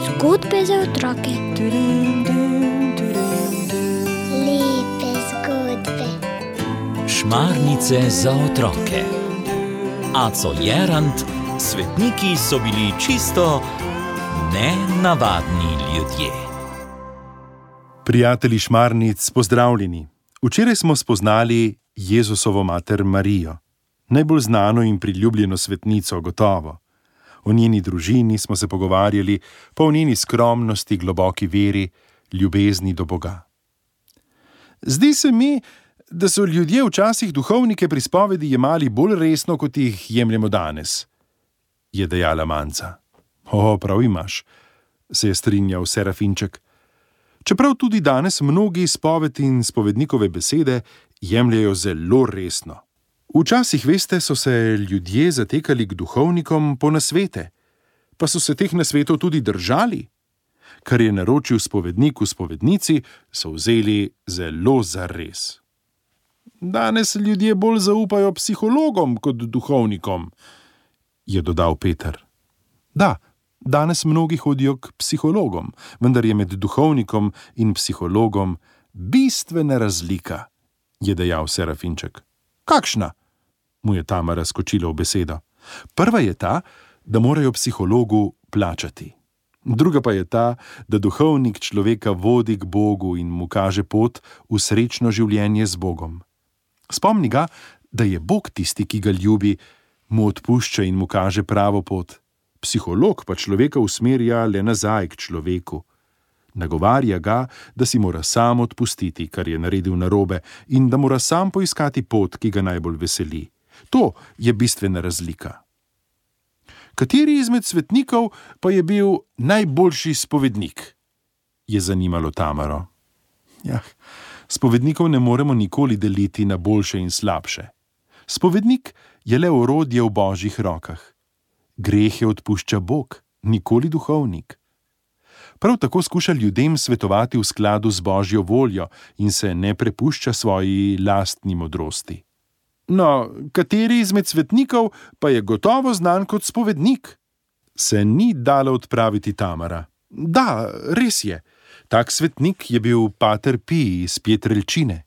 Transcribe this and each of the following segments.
Zgodbe za otroke. Lepe zgodbe. Šmarnice za otroke. Aco Jerant, svetniki so bili čisto nenavadni ljudje. Prijatelji šmarnic, pozdravljeni. Včeraj smo spoznali Jezusovo mater Marijo, najbolj znano in priljubljeno svetnico gotovo. O njeni družini smo se pogovarjali, pa o njeni skromnosti, globoki veri, ljubezni do Boga. Zdi se mi, da so ljudje včasih duhovnike pri spovedi jemali bolj resno, kot jih jemljemo danes, je dejala Manca. Prav imaš, se je strinjal Serafinček. Čeprav tudi danes mnogi spoved in spovednikove besede jemljajo zelo resno. Včasih, veste, so se ljudje zatekali k duhovnikom po nasvete, pa so se teh nasvetov tudi držali. Kar je naročil spovednik v spovednici, so vzeli zelo zares. Danes ljudje bolj zaupajo psihologom kot duhovnikom, je dodal Peter. Da, danes mnogi hodijo k psihologom, vendar je med duhovnikom in psihologom bistvena razlika, je dejal Serafinček. Kakšna? Mu je Tamara skočila v besedo. Prva je ta, da morajo psihologu plačati. Druga pa je ta, da duhovnik človeka vodi k Bogu in mu kaže pot v srečno življenje z Bogom. Spomni ga, da je Bog tisti, ki ga ljubi, mu odpušča in mu kaže pravo pot. Psiholog pa človeka usmerja le nazaj k človeku. Nagovarja ga, da si mora sam odpustiti, kar je naredil narobe, in da mora sam poiskati pot, ki ga najbolj veseli. To je bistvena razlika. Kateri izmed svetnikov pa je bil najboljši spovednik? Je zanimalo Tamaro. Spovednikov ne moremo nikoli deliti na boljše in slabše. Spovednik je le orodje v Božjih rokah. Grehe odpušča Bog, nikoli duhovnik. Prav tako skuša ljudem svetovati v skladu z Božjo voljo in se ne prepušča svoji lastni modrosti. No, kateri izmed svetnikov pa je gotovo znan kot spovednik? Se ni dala odpraviti Tamara. Da, res je. Tak svetnik je bil pater Pij iz Pietrelčine.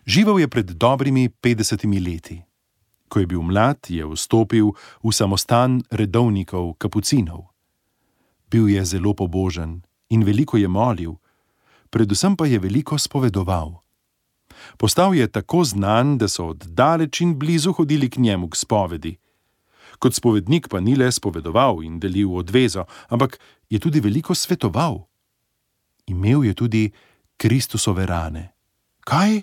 Živel je pred dobrimi 50 leti. Ko je bil mlad, je vstopil v samostan redovnikov, kapucinov. Bil je zelo pobožen in veliko je molil, predvsem pa je veliko spovedoval. Postal je tako znan, da so od daleč in blizu hodili k njemu k spovedi. Kot spovednik pa ni le spovedoval in delil odvezo, ampak je tudi veliko svetoval. Imel je tudi Kristusove rane. Kaj?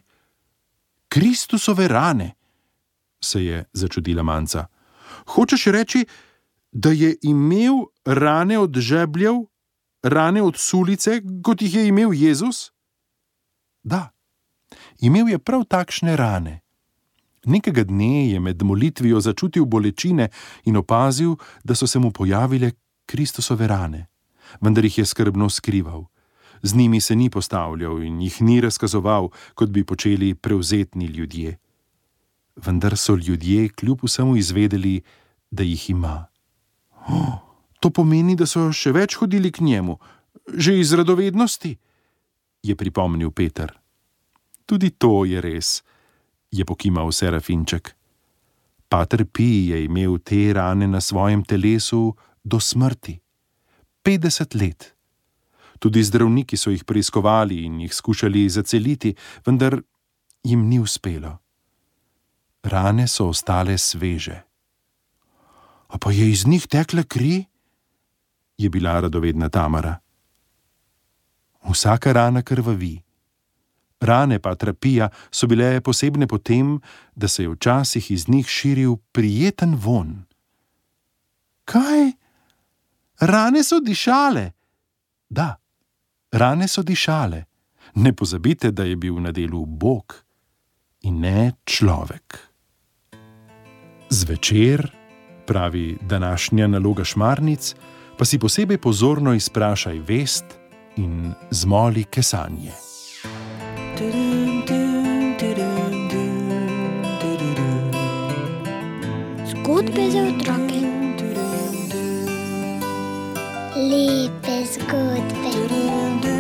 Kristusove rane? Se je začudila Manca. Hočeš reči, da je imel rane od žebljev, rane od sulice, kot jih je imel Jezus? Da, imel je prav takšne rane. Nekega dne je med molitvijo začutil bolečine in opazil, da so se mu pojavile Kristusove rane, vendar jih je skrbno skrival. Z njimi se ni postavljal in jih ni razkazoval, kot bi počeli prevzetni ljudje. Vendar so ljudje kljub vsemu izvedeli, da jih ima. To pomeni, da so še več hodili k njemu, že iz radovednosti, je pripomnil Peter. Tudi to je res, je pokimal Serafinček. Pater Pij je imel te rane na svojem telesu do smrti. 50 let. Tudi zdravniki so jih preiskovali in jih skušali zaceliti, vendar jim ni uspelo. Rane so ostale sveže. A pa je iz njih tekla kri? Je bila radovedna Tamara. Vsaka rana krvavi. Rane patra Pija so bile posebne po tem, da se je včasih iz njih širil prijeten vonj. Kaj? Rane so dišale? Da, rane so dišale. Ne pozabite, da je bil na delu Bog in ne človek. Zvečer, pravi današnja naloga šmarnic, pa si posebej pozorno izprašaj vest in zmoli kesanje. Zgodbe za otroke. Lepe zgodbe.